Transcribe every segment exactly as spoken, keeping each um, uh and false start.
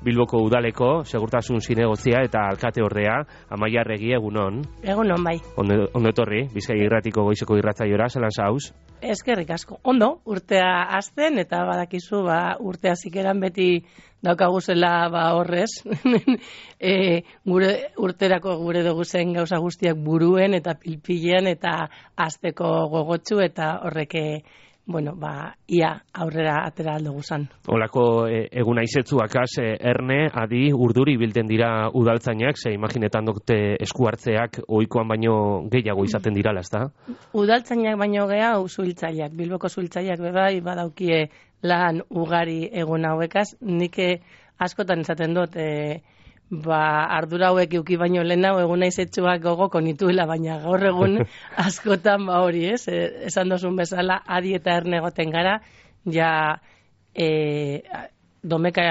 Bilboko udaleko segurtasun zinegozia eta alkate ordea, Amaia Arregi, egunon. Egunon, bai. Ondo, ondo etorri, Bizkai Irratiko goizeko irratzaiora, zelan zauz? Eskerrik asko. Ondo, urtea hasten eta badakizu, ba, urtea zikeran beti daukaguzela ba horrez. e, gure urterako gure dugu zen gauza guztiak buruen eta pilpilean eta hasteko gogotsu eta horreke bueno, ba, ia aurrera atera aldo guzan. Olako e, eguna izetzuakaz, e, erne, adi, urduri bilten dira udaltzainak, ze imaginetan dute esku hartzeak ohikoan baino gehiago izaten dirala, ezta? Udaltzainak baino gehiago zuhiltzaileak, Bilboko zuhiltzaileak bebai badaukie lan ugari egun hauekaz, nik askotan esaten dut, e, ba, ardura hauek euki baino lehenago eguna izetsuak gogoko nituela, baina gaur egun askotan ba hori, ez? E, esan dozun bezala, adi eta erne egoten gara, ja e, domeka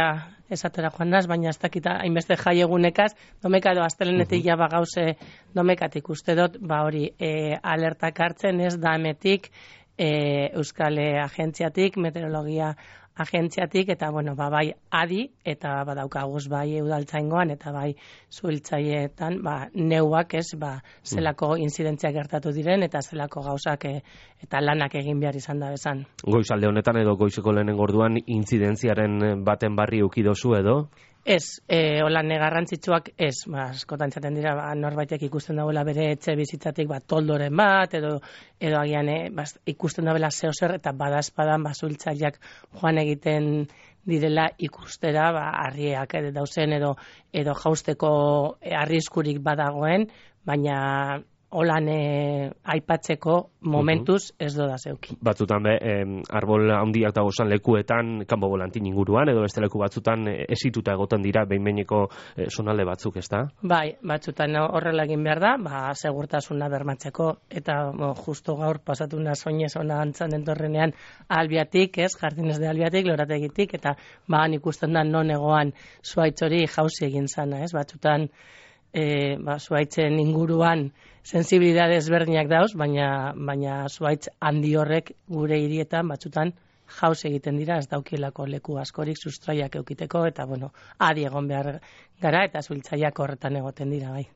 esatera joan naz, baina ez dakita hainbeste jai egunekaz, domeka edo astelenetik ja ba gauze domekatik uste dut, ba hori, e, alertak hartzen, ez da emetik, e, Euskal Agentziatik, meteorologia agentziatik, eta bueno, ba, bai adi, eta badaukaguz bai udaltzaingoan, eta bai zuhiltzaileetan, ba, neuak ez, ba, zelako inzidentziak gertatu diren, eta zelako gauzak e, eta lanak egin behar izan da bezan. Goizalde honetan edo goizeko lehenengo orduan intzidentziaren baten barri ukidozu edo? Ez, e, holan garrantzitsuak ez, ba, askotan txaten dira, ba, norbaitek ikusten dagoela bere etxe bizitzatik, ba, toldoren bat, edo, edo agian e, ba, ikusten dagoela zehozer, eta badazpadan, ba, zuhiltzaileak joan egiten direla ikustera, ba, harriak edo dauzen, edo, edo jausteko arriskurik badagoen, baina holan e, aipatzeko momentuz ez doda zeuki. Batzutan be, eh, arbol handiak dagozan lekuetan, kanbo volantin inguruan, edo beste leku batzutan eh, esituta egoten dira behin-behineko eh, zonalde batzuk, ezta? Bai, batzutan horrela egin behar da, ba, segurtasuna bermatzeko, eta bo, justo gaur pasatu naz oinez ona antzan entorrenean albiatik, ez, jardinez de albiatik, lorategitik, eta ba, ikusten da non egoan zuaitz hori jauzi egin zana, ez, batzutan E, ba, zuaitzen inguruan sensibilidade ezberdinak dauz, baina, baina zuaitz handi horrek gure hirietan batzutan jauz egiten dira, ez daukielako leku askorik sustraiak eukiteko, eta bueno, adi egon behar gara, eta zuhiltzaileak horretan egoten dira, bai.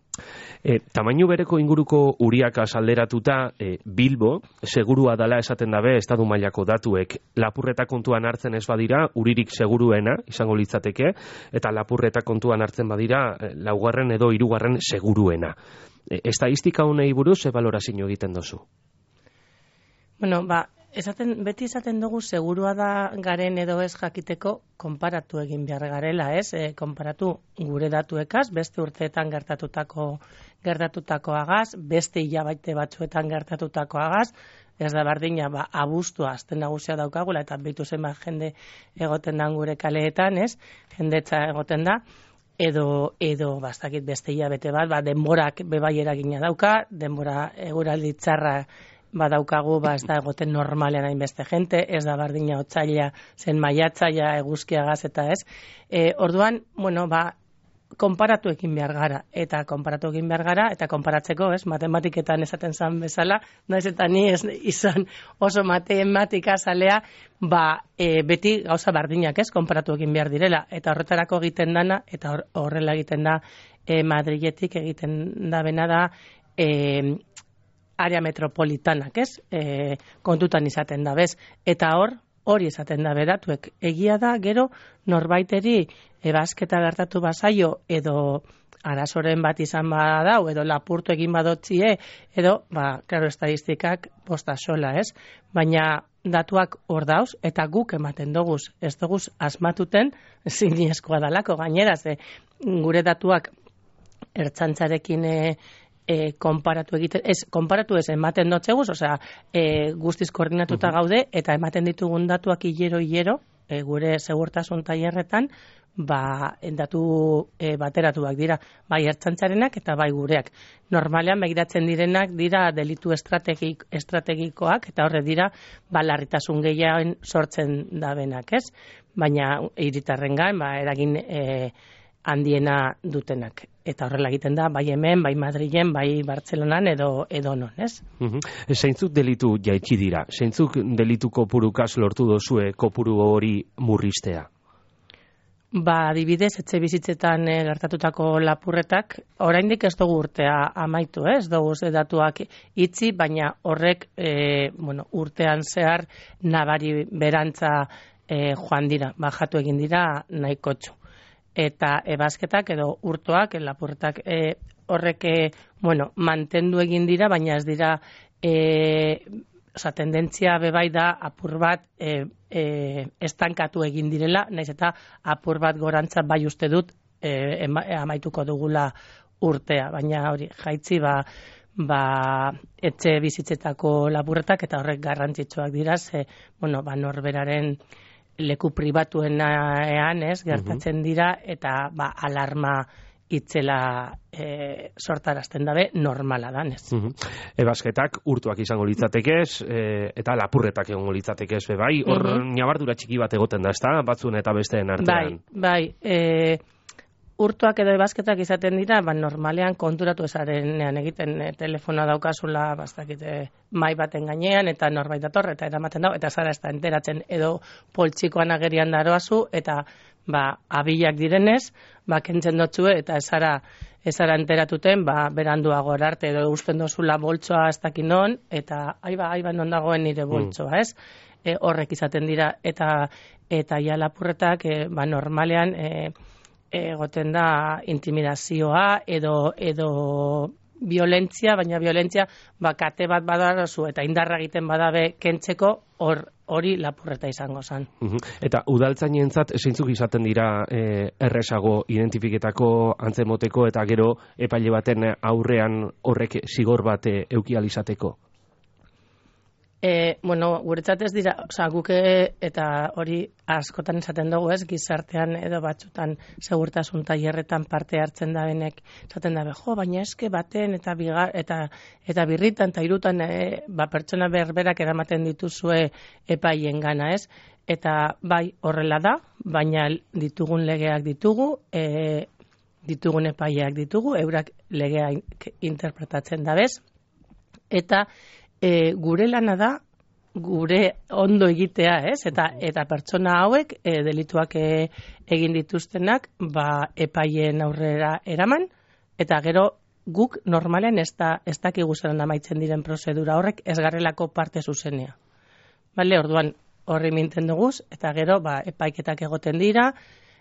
E, tamainu bereko inguruko uriak alderatuta, e, Bilbo, segurua dala esaten dabe, estadu mailako datuek, lapurreta kontuan hartzen ez badira, uririk seguruena, izango litzateke, eta lapurreta kontuan hartzen badira, laugarren edo hirugarren seguruena. E, estadistika honei buruz, ze balorazio egiten dozu? Bueno, ba, esaten, beti esaten dugu segurua da garen edo ez jakiteko konparatu egin behar garela, ez? E, konparatu gure datuekaz, beste urteetan gertatutako gertatutakoagaz, beste hilabete batzuetan gertatutakoagaz, ez da bardina, ba, abuztua azten nagusia daukagula, eta bitu zenbat jende egoten da gure kaleetan, ez? Jendetza egoten da, edo, edo bastakit beste hilabete bat, ba, denborak bebai eragina dauka, denbora eguraldi txarra badaukagu, ba, ez da egoten normalean hainbeste jente, ez da bardina otsaila zen maiatzaia eguzkiagaz eta ez. E, orduan, bueno, ba, konparatu egin behar gara, eta konparatu egin behar gara, eta konparatzeko, ez, matematiketan esaten zan bezala, naiz eta ni ez izan oso matematika zalea, ba, e, beti gauza bardinak, ez, konparatu egin behar direla, eta horretarako egiten dana, eta horrela egiten da, e, Madriletik egiten da bena da, e, area metropolitanak, ez? E, kontutan izaten da, bez? Eta hor, hori izaten da bedatuek. Egia da, gero, norbaiteri ebasketa gertatu bazaio, edo arazoren bat izan badau, edo lapurtu egin badotzie, edo, ba, klaro, estadistikak posta sola, ez? Baina datuak hor dauz, eta guk ematen doguz, ez doguz asmatuten, zinezkoa dalako, gainera, ze gure datuak ertzantzarekin e, E, konparatu egiten, ez, konparatu ez ematen dotzeguz, osea, e, guztiz koordinatuta gaude, eta ematen ditugun datuak hilero-hilero, e, gure segurtasun tailerretan, ba, datu e, bateratuak dira, bai ertzantzarenak eta bai gureak. Normalean begiratzen direnak dira delitu estrategik, estrategikoak, eta horre dira, ba, larritasun gehiagoen sortzen dabenak, ez? Baina hiritarrengan, ba, eragin e, handiena dutenak. Eta horrela egiten da, bai hemen, bai Madrilen, bai Bartzelonan edo edo non, ez? Uh-huh. Zeintzuk delitu jaitsi dira? Zeintzuk delitu kopurukaz lortu dozue kopuru hori murriztea? Ba, adibidez, etxe bizitzetan e, gertatutako lapurretak, oraindik ez dugu urtea amaitu, eh? Ez dugu ze datuak itzi, baina horrek e, bueno, urtean zehar nabari berantza e, joan dira, bajatu egin dira nahikotxu. Eta ebasketak edo urtoak, lapurretak e, horrek e, bueno, mantendu egin dira, baina ez dira e, Osa, tendentzia bebai da apur bat e, e, estankatu egin direla, naiz eta apur bat gorantza bai uste dut e, ema, amaituko dugula urtea. Baina hori, jaitzi ba, ba, etxe bizitzetako lapurretak eta horrek garrantzitsuak dira, ze, bueno, ba, norberaren leku pribatuenean ez, gertatzen dira, eta ba, alarma itzela e, sortarazten dabe normala danez. Uh -huh. Ebasketak urtuak izango litzatekez, e, eta lapurretak egongo litzatekez, bai, hor uh -huh. Nabardura txiki bat egoten da, ezta, batzuen eta besteen artean. Bai, bai, e, urtuak edo ebasketak izaten dira, ba, normalean konturatu esarenean egiten e, telefonoa daukazula, bastakite mai baten gainean, eta norbait dator, eta eramaten dago, eta zara ez da enteratzen, edo poltsikoan agerian daroazu, eta ba, abilak direnez, ba, kentzen dotzue, eta ezara, ezara enteratuten, ba, beranduago erarte, edo usten dozula boltsoa ez dakin non, eta aiba, aiba non dagoen nire boltsoa, mm. ez? E, horrek izaten dira, eta eta ja lapurretak, e, ba, normalean, e, egoten da intimidazioa, edo, edo violentzia, baina violentzia, ba, kate bat badarazu, eta indarra egiten badabe kentzeko, hor, hori lapurreta izango zen. Uh-huh. Eta udaltzainentzat zeintzuk izaten dira e, erresago identifiketako antzemoteko eta gero epaile baten aurrean horrek zigor bat e, euki alizateko? E, bueno, guretzat ez dira, oza, guke eta hori askotan esaten dugu ez, gizartean edo batzutan segurtasun tailerretan parte hartzen da benek, esaten dabe, jo, baina eske baten eta bigar, eta, eta birritan eta irutan e, ba, pertsona berberak eramaten dituzue epaien gana ez, eta bai horrela da, baina ditugun legeak ditugu, e, ditugun epaileak ditugu, eurak legea interpretatzen dabez, eta E, gure lana da, gure ondo egitea, ez? Eta, eta pertsona hauek e, delituak e, egin dituztenak ba, epaien aurrera eraman, eta gero guk normalen ez da, ez dakigu zelan amaitzen diren prozedura horrek ez garrelako parte zuzenea. Bale, orduan horri minten duguz, eta gero ba, epaiketak egoten dira,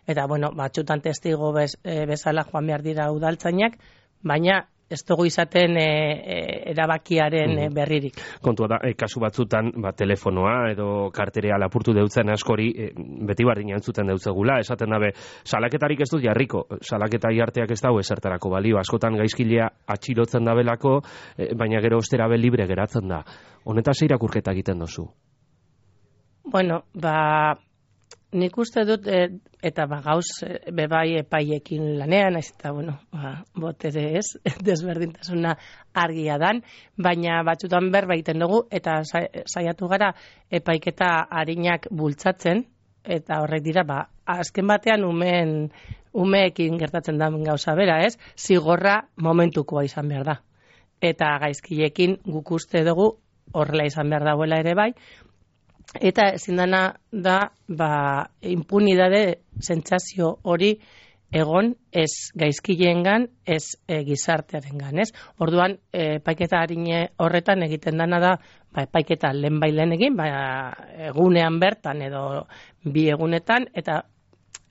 eta bueno, batxutan testigo bez, e, bezala joan behar dira udaltzainak, baina ez dugu izaten e, e, erabakiaren e, berririk. Kontua da, e, kasu batzutan, ba, telefonoa edo karterea lapurtu deutzen askori, e, beti bardina entzuten deutzegula, esaten dabe, salaketarik ez dut jarriko, salaketa jarteak ez dago esertarako balio, askotan gaizkilea atxilotzen dabelako, e, baina gero osterabe libre geratzen da. Honetaz irakurketa egiten dozu? Bueno, ba, nik uste dut, e, eta ba, gauz bebai epaiekin lanean, ez eta, bueno, ba, botere ez, desberdintasuna argia dan, baina batzutan berbaiten dugu, eta saiatu gara epaiketa harinak bultzatzen, eta horrek dira, ba, azken batean umeen, umeekin gertatzen da gauza bera, ez? Zigorra momentukoa izan behar da. Eta gaizkilekin guk uste dugu horrela izan behar dagoela ere bai, eta ezin dana da, ba, impunidade sentsazio hori egon ez gaizkileengan, ez e, gizartearengan, ez? Orduan, e, epaiketa harine horretan egiten dana da, ba, epaiketa lehen bailen egin, ba, egunean bertan edo bi egunetan, eta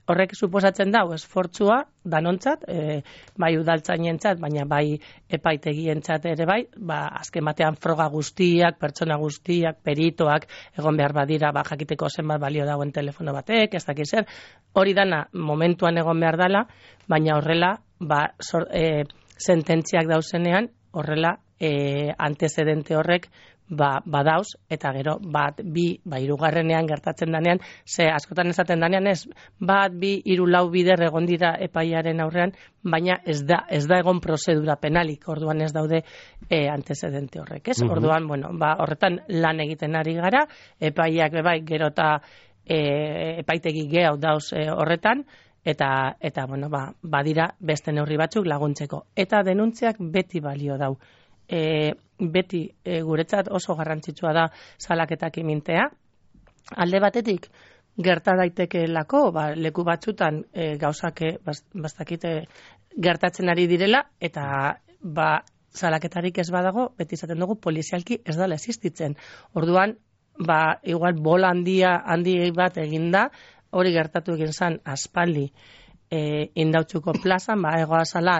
horrek suposatzen da, esfortzua danontzat, e, bai udaltzainentzat, baina bai epaitegientzat ere bai, ba, azken batean froga guztiak, pertsona guztiak, peritoak, egon behar badira, ba, jakiteko zenbat balio dagoen telefono batek, ez dakiz zer, hori dana momentuan egon behar dela, baina horrela, ba, sor, e, sententziak dauzenean, horrela, e, antecedente horrek, ba, badauz, eta gero bat, bi, ba, hirugarrenean gertatzen danean, ze askotan esaten danean ez, bat, bi, hiru, lau bider egon dira epaiaren aurrean, baina ez da, ez da egon prozedura penalik, orduan ez daude e, antecedente horrek, ez? Uh-huh. Orduan, bueno, ba, horretan lan egiten ari gara, epaiak bebai gero eta e, epaitegi gehiago dauz e, horretan, eta, eta bueno, ba, badira beste neurri batzuk laguntzeko. Eta denuntziak beti balio dau. E, beti e, guretzat oso garrantzitsua da salaketak imintea. Alde batetik, gerta daitekeelako, ba, leku batzutan e, gauzak e, bastakite gertatzen ari direla, eta ba, salaketarik ez badago, beti izaten dugu polizialki ez dela existitzen. Orduan, ba, igual bola handia handi bat eginda, hori gertatu egin zen aspaldi e, Indautxuko plazan, ba, egoazala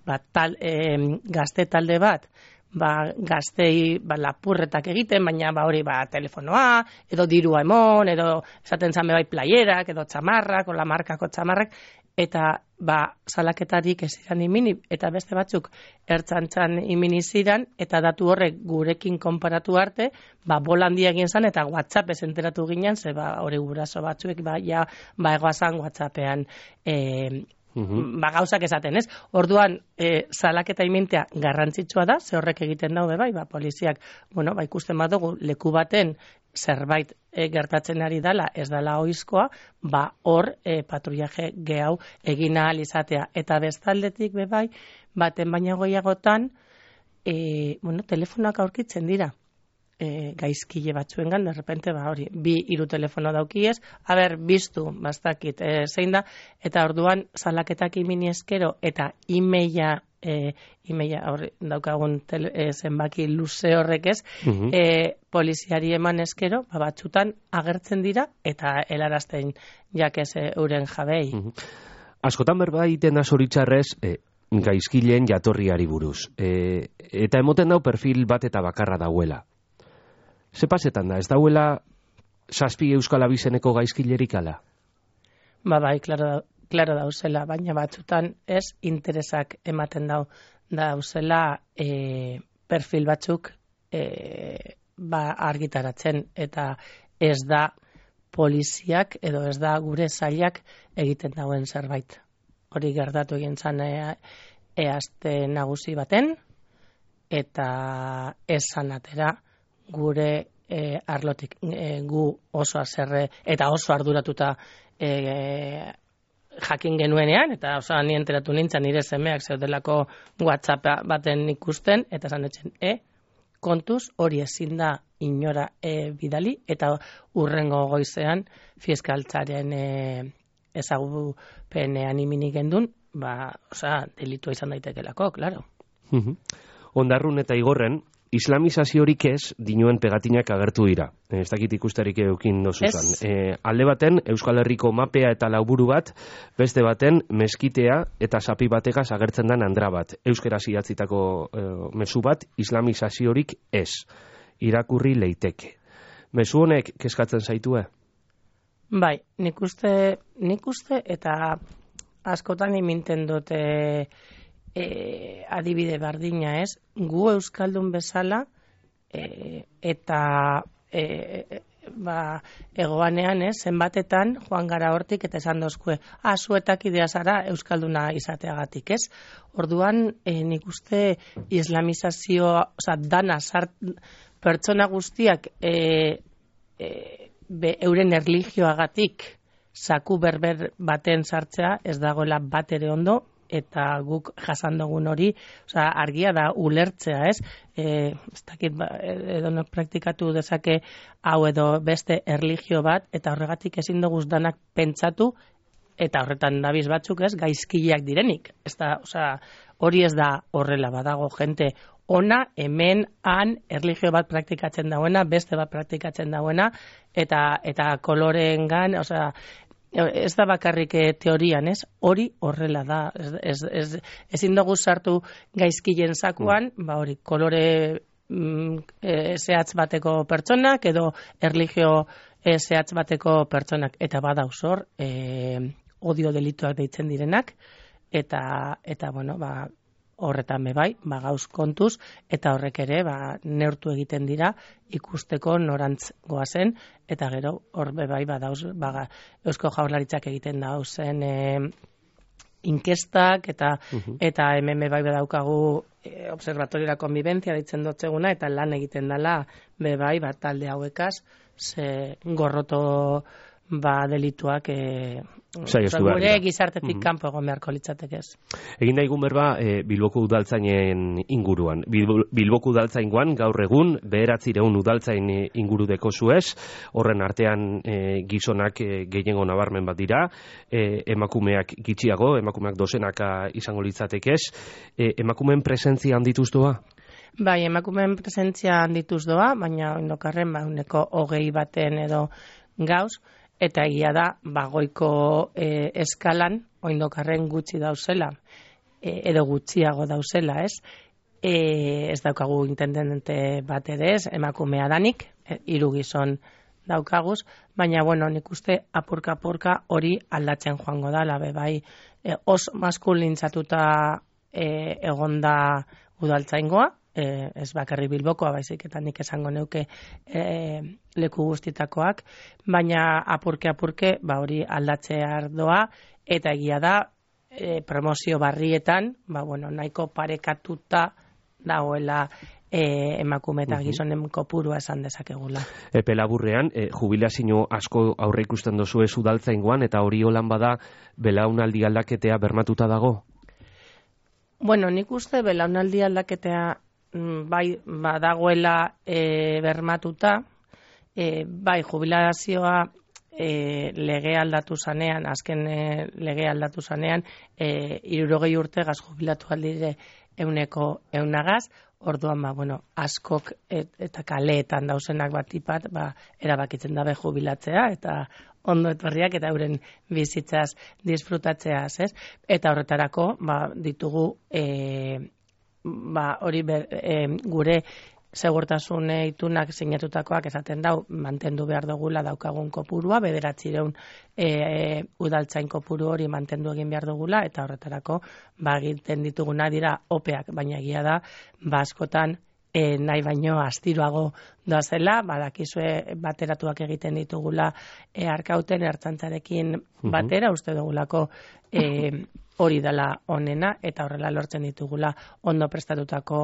ba, tal, e, gazte talde bat, ba, gaztei ba, lapurretak egiten, baina ba, hori ba, telefonoa, edo dirua emon, edo esaten zame bai playerak, edo txamarrak, o la markako txamarrak, eta ba, salaketarik ez ziren imini, eta beste batzuk ertzantzan imini ziren, eta datu horrek gurekin konparatu arte, ba, bola handia egin zen, eta WhatsApp ez enteratu ginen, ze ba, hori guraso batzuek, ba, ja, ba, egoazan WhatsAppean, e, Uhum. Ba, gauzak esaten, ez? Orduan, e, salaketa imintea garrantzitsua da, ze horrek egiten daude bai, ba, poliziak, bueno, ba, ikusten badugu leku baten zerbait e, gertatzen ari dala, ez dala oizkoa, ba, hor e, patrullaje gehau egin ahal izatea. Eta bestaldetik be bai, baten baina goiagotan, e, bueno, telefonoak aurkitzen dira. E, gaizkile batzuengan, de repente, ba, hori, bi hiru telefono daukiez, haber, biztu, bastakit, e, zein da, eta orduan, salaketak imini eskero, eta imeia, e, imeia, hori, daukagun tele, e, zenbaki luze horrek ez, uh-huh. e, poliziari eman eskero, ba, batzutan agertzen dira, eta helarazten jakez e, euren jabei. Uh-huh. Askotan berbaiten asoritxarrez, e, gaizkileen jatorriari buruz. E, eta emoten dau perfil bat eta bakarra dauela. Ze pasetan da, ez dauela zazpi euskal abizeneko gaizkilerik ala? Ba, bai, klaro, klaro dauzela, baina batzutan ez interesak ematen dau dauzela e, perfil batzuk e, ba, argitaratzen, eta ez da poliziak edo ez da gure zailak egiten dauen zerbait. Hori gertatu egin zan e, eazte nagusi baten, eta esan atera, gure e, arlotik e, gu oso azerre eta oso arduratuta e, jakin genuenean, eta oso ni enteratu nintzen nire semeak zeudelako WhatsApp baten ikusten, eta esan etzen, e, kontuz hori ezin da inora e, bidali, eta urrengo goizean fiskaltzaren e, ezagupenean imini gendun, ba, osea, delitua izan daitekelako, klaro. Uh-huh. Ondarrun eta Igorren, islamizaziorik ez dinuen pegatinak agertu dira. Ez dakit ikusterik eukin dozuzan. E, alde baten, Euskal Herriko mapea eta lauburu bat, beste baten, meskitea eta sapi bategaz agertzen den andra bat. Euskaraz idatzitako e, mezu bat, islamizaziorik ez. Irakurri leiteke. Mezu honek kezkatzen zaitue? Bai, nik uste, nik uste eta askotan iminten dute E, adibide bardina ez, gu euskaldun bezala e, eta e, ba, egoanean ez, zenbatetan joan gara hortik eta esan dozkue, ah, zuetak idea zara euskalduna izateagatik ez. Orduan, e, nik uste islamizazio, oza, dana zart, pertsona guztiak e, e, be, euren erlijioagatik zaku berber baten sartzea ez dagoela bat ere ondo, eta guk jasan dugun hori, osea, argia da ulertzea, ez? Eh, ez dakit, ba, edonok praktikatu dezake hau edo beste erlijio bat, eta horregatik ezin dugu danak pentsatu, eta horretan dabiz batzuk, ez, gaizkileak direnik. Ez da, osea, hori ez da horrela badago jente ona, hemen, han, erlijio bat praktikatzen dauena, beste bat praktikatzen dauena, eta eta koloreengan, osea, ez da bakarrik teorian, ez? Hori horrela da. Ez, ez, ez, ezin dugu sartu gaizkilen zakuan, mm. ba hori, kolore mm, e, zehatz bateko pertsonak, edo erlijio e, zehatz bateko pertsonak. Eta badauz hor, e, odio delituak deitzen direnak, eta, eta bueno, ba, horretan bebai, ba, gauz kontuz, eta horrek ere, ba, neurtu egiten dira, ikusteko norantz goazen, eta gero, hor bebai, ba, dauz, ba, Eusko Jaurlaritzak egiten dauzen e, inkestak, eta, uh-huh. eta hemen bebai badaukagu e, Observatoriora Konbibentzia ditzen dotzeguna, eta lan egiten dela, bebai, ba, talde hauekaz, ze gorroto ba delituak e, gure gizartetik mm-hmm. kanpo egon beharko litzateke ez. Egin daigun berba e, Bilboko udaltzainen inguruan. Bil, Bilboko udaltzaingoan gaur egun bederatziehun udaltzain inguru dekozu ez, horren artean e, gizonak e, gehiengo nabarmen bat dira, e, emakumeak gitxiago, emakumeak dozenaka izango litzateke ez, e, emakumeen presentzia handituz doa? Bai, emakumeen presentzia handituz doa, baina oindokarren ba, uneko hogei baten edo gauz, eta egia da, bagoiko e, eskalan, oindokarren gutxi dauzela, e, edo gutxiago dauzela, ez? E, ez daukagu intendente bat ere ez, emakumea danik, e, hiru gizon daukaguz, baina, bueno, nik uste apurka-apurka hori aldatzen joango da, labe, bai, e, os maskulintzatuta e, egonda udaltzaingoa, E, ez bakarri Bilbokoa, baizik eta nik esango neuke e, leku guztitakoak, baina apurke-apurke ba hori aldatzea doa, eta egia da e, promozio barrietan, ba bueno, nahiko parekatuta dagoela e, emakume eta gizonen kopurua esan dezakegula. Epe laburrean, e, jubilazio asko aurre ikusten dozu ez udaltzaingoan, eta hori holan bada belaunaldi aldaketea bermatuta dago? Bueno, nik uste belaunaldi aldaketea bai badagoela e, bermatuta, e, bai jubilazioa e, lege aldatu zanean, azken e, lege aldatu zanean, e, hirurogei urtegaz jubilatu aldire euneko eunagaz, orduan ba, bueno, askok et, eta kaleetan dauzenak bat ipat, ba, erabakitzen dabe jubilatzea, eta ondo etorriak eta euren bizitzaz disfrutatzeaz, ez? Eta horretarako, ba, ditugu e, ba, hori ber, e, gure segurtasun itunak sinatutakoak esaten dau, mantendu behar dugula daukagun kopurua, bederatzireun e, e, udaltzain kopuru hori mantendu egin behar dugula, eta horretarako ba, egiten dituguna dira opeak, baina egia da, ba, askotan e, nahi baino astiroago doazela, badakizue bateratuak egiten ditugula e, arkauten ertzantzarekin batera, uste dugulako e, hori dela onena, eta horrela lortzen ditugula ondo prestatutako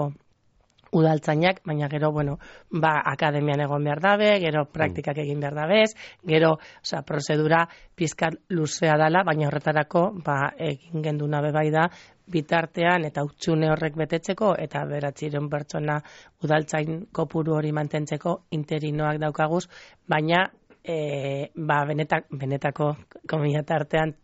udaltzainak, baina gero, bueno, ba, akademian egon behar dabe, gero praktikak egin behar dabez, gero, osea, prozedura pizkat luzea dela, baina horretarako, ba, egin genduna bebai da, bitartean eta utxune horrek betetzeko, eta beratziren pertsona udaltzain kopuru hori mantentzeko interinoak daukaguz, baina, e, ba, benetak, benetako komila tartean,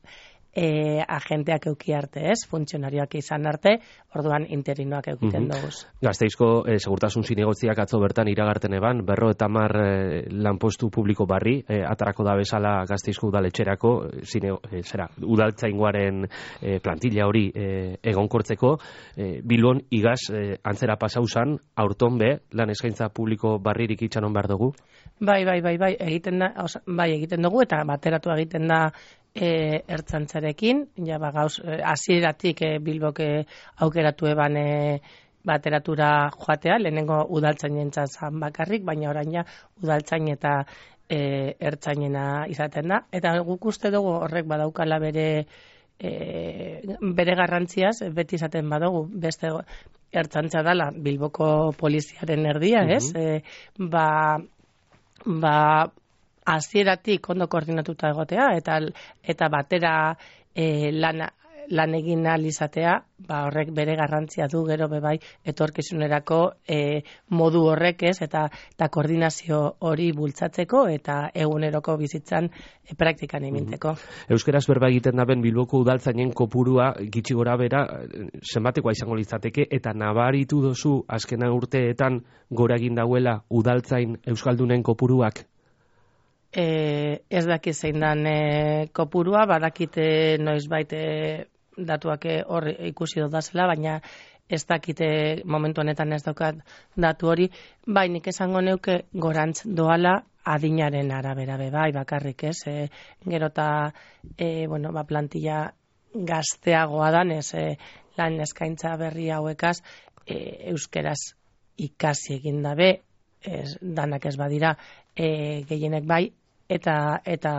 E, agenteak euki arte, ez? Funtzionarioak izan arte, orduan interinoak eukiten mm-hmm. doguz. Gazteizko e, segurtasun zinegotziak atzo bertan iragarten eban, berro eta mar e, lanpostu publiko barri, e, atarako da bezala Gazteizko udaletxerako, zine, e, zera, udaltzaingoaren e, plantilla hori e, egonkortzeko, e, Bilbon igaz e, antzera pasauzan, aurton be, lan eskaintza publiko barririk itxanon behar dugu? Bai, bai, bai, bai, egiten da, oza, bai, egiten dugu, eta bateratu egiten da E, ertzantzarekin, ja ba gauz hasieratik e, Bilbok e, aukeratu eban e, bateratura joatea, lehenengo udaltzainentzat zan bakarrik, baina orain ja udaltzain eta e, ertzainena izaten da, eta guk uste dugu horrek badaukala bere e, bere garrantziaz, beti izaten badugu, beste ertzantza dela Bilboko poliziaren erdia, ez? Mm-hmm. E, ba, ba hasieratik ondo koordinatuta egotea eta eta batera e, lan, lan egin ahal izatea, ba horrek bere garrantzia du gero bebai etorkizunerako e, modu horrek ez eta eta koordinazio hori bultzatzeko eta eguneroko bizitzan e, praktikan eminteko. Euskeraz berba egiten daben Bilboko udaltzainen kopurua gitxi gora bera zenbatekoa izango litzateke eta nabaritu dozu azken urteetan gora egin dauela udaltzain euskaldunen kopuruak? E, ez dakit zein dan e, kopurua, badakite noizbait e, datuak hor ikusi dodazela, baina ez dakite momentu honetan ez daukat datu hori, bai nik esango neuke gorantz doala adinaren arabera be bai bakarrik ez, e, gero eta e, bueno, ba, plantilla gazteagoa danez e, lan eskaintza berri hauekaz e, euskeraz ikasi egin dabe, ez, danak ez badira e, gehienek bai, eta eta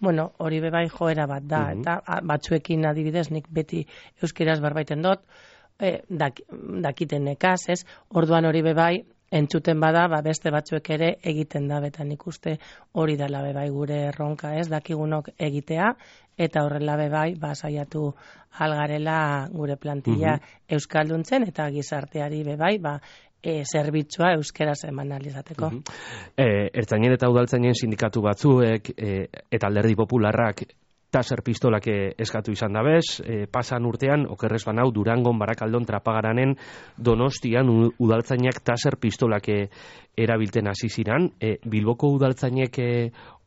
bueno, hori bebai joera bat da, mm-hmm. eta batzuekin adibidez nik beti euskeraz berbaiten dut, e, dak, dakiten nekaz, ez? Orduan hori bebai entzuten bada, ba, beste batzuek ere egiten da, betan ikuste hori dela bebai gure erronka, ez, dakigunok egitea, eta horrela bebai, ba, saiatu algarela gure plantilla uh-huh. euskalduntzen, eta gizarteari bebai, ba, e, zerbitzua euskeraz eman alizateko. Uh-huh. e, Ertzainen eta udaltzainen sindikatu batzuek, e, eta Alderdi Popularrak, taser pistolak eskatu izan dabez, e, pasan urtean, okerrez banau, Durangon, Barakaldon, Trapagaranen, Donostian, udaltzainak taser pistolak erabilten hasi ziran. E, Bilboko udaltzainek e,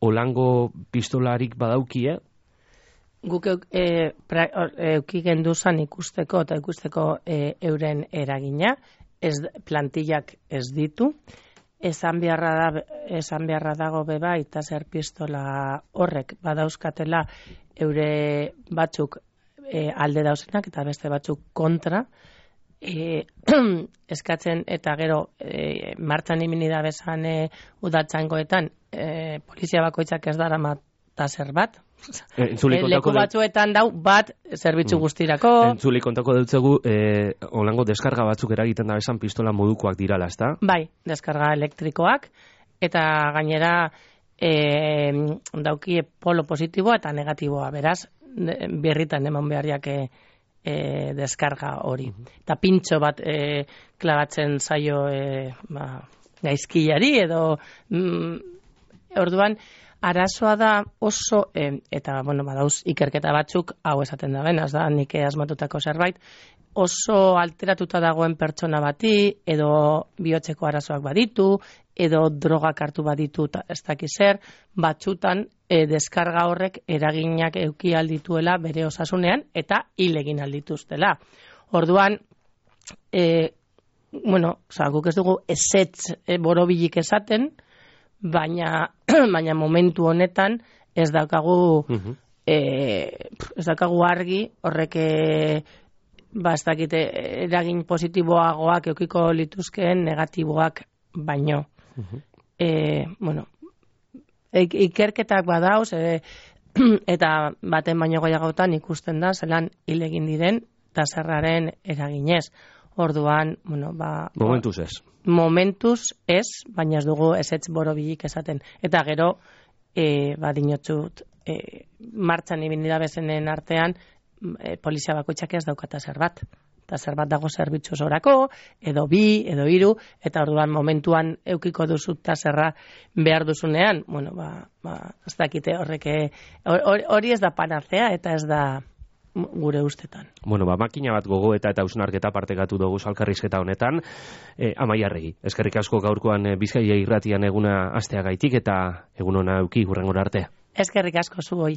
olango pistolarik badaukie? Guk e, pra, euki genduzan ikusteko eta ikusteko e, euren eragina, ez, plantillak ez ditu, esan beharra, da, esan beharra dago beba eta zer pistola horrek badauzkatela eure batzuk e, alde dauzenak eta beste batzuk kontra e, eskatzen eta gero e, martxan imini da bezan e, udatzangoetan e, polizia bakoitzak ez dara taser bat. E, leku batzuetan dau bat zerbitzu guztirako. Entzuli kontako dutzegu, eh, olango deskarga batzuk eragiten da besan pistola modukoak dirala, ezta? Bai, deskarga elektrikoak, eta gainera e, daukie polo positiboa eta negatiboa, beraz, birritan eman beharriak e, e, deskarga hori. Eta pintxo bat e, klabatzen zaio e, ba, gaizkilari edo mm, orduan, arazoa da oso, eh, eta, bueno, badauz ikerketa batzuk, hau esaten da benaz, da, nik asmatutako zerbait, oso alteratuta dagoen pertsona bati, edo bihotzeko arazoak baditu, edo drogak hartu baditu, ez dakiz zer, batzutan eh, deskarga horrek eraginak euki aldituela bere osasunean, eta hil egin aldituztela. Orduan, eh, bueno, oza, guk ez dugu ezetz eh, borobilik esaten, baina baina momentu honetan ez daukagu uh-huh. e, ez daukagu argi horrek ba ez dakite eragin positiboagoak eukiko lituzkeen negatiboak baino uh-huh. e, bueno ikerketak badauz e, eta baten baino gehiagotan ikusten da zelan hil egin diren taserraren eraginez. Orduan, bueno, ba... Momentuz ez. Momentuz ez, baina ez dugu ezetz borobilik esaten. Eta gero, e, ba, dinotzut, e, martxan ibindira bezenen artean, e, polizia bakoitzak ez daukata zer bat. Eta zer bat dago zerbitzu zorako, edo bi, edo hiru, eta orduan momentuan eukiko duzut taserra behar duzunean, bueno, ba, ba ez dakite horrek, hori ez da panacea, eta ez da... gure ustetan. Bueno, ba, makina bat gogoeta eta hausnarketa partekatu dugu elkarrizketa honetan. E, Amaia Arregi, eskerrik asko gaurkoan Bizkaia irratian eguna asteagaitik eta egun ona euki hurrengora arte. Eskerrik asko zuoi.